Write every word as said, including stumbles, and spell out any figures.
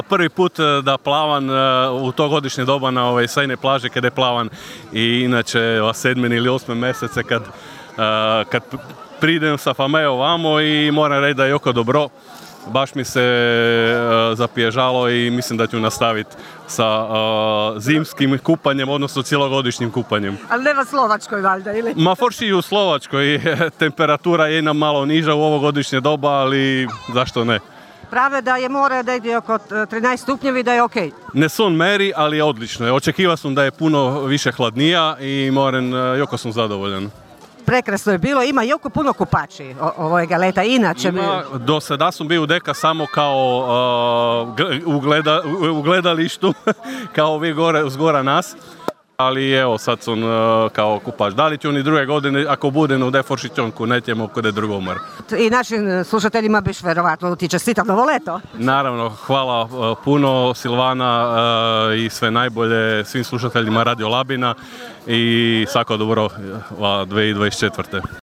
prvi put da plavan u to godišnje doba na ove sajne plaže kada je plavan i inače sedmi ili osmi mjesece kad, kad pridem sa Fameo vamo i moram reći da je jako dobro. Baš mi se uh, zapježalo i mislim da ću nastaviti sa uh, zimskim kupanjem, odnosno cjelogodišnjim kupanjem. Ali nema Slovačkoj valjda, ili? Ma forši i u Slovačkoj. Temperatura je nam malo niža u ovogodišnje doba, ali zašto ne? Prave da je more da ide oko trinaest stupnjevi, da je ok. Ne son meri, ali je odlično. Očekivao sam da je puno više hladnija i moram, uh, jako sam zadovoljan. Prekrasno je bilo, ima jako puno kupači ovog leta, inače... Ima, do sada sam bio u Deka samo kao uh, u, gleda, u, u gledalištu, kao vi gore, zgora nas, ali evo sad sam uh, kao kupač. Da li ću ni druge godine, ako budem u Deforšićonku, nećemo kod drugomar. I našim slušateljima biš verovatno ti čestitam novo leto. Naravno, hvala uh, puno Silvana uh, i sve najbolje svim slušateljima Radio Labina i svako dobro uh, dvije tisuće dvadeset četvrte.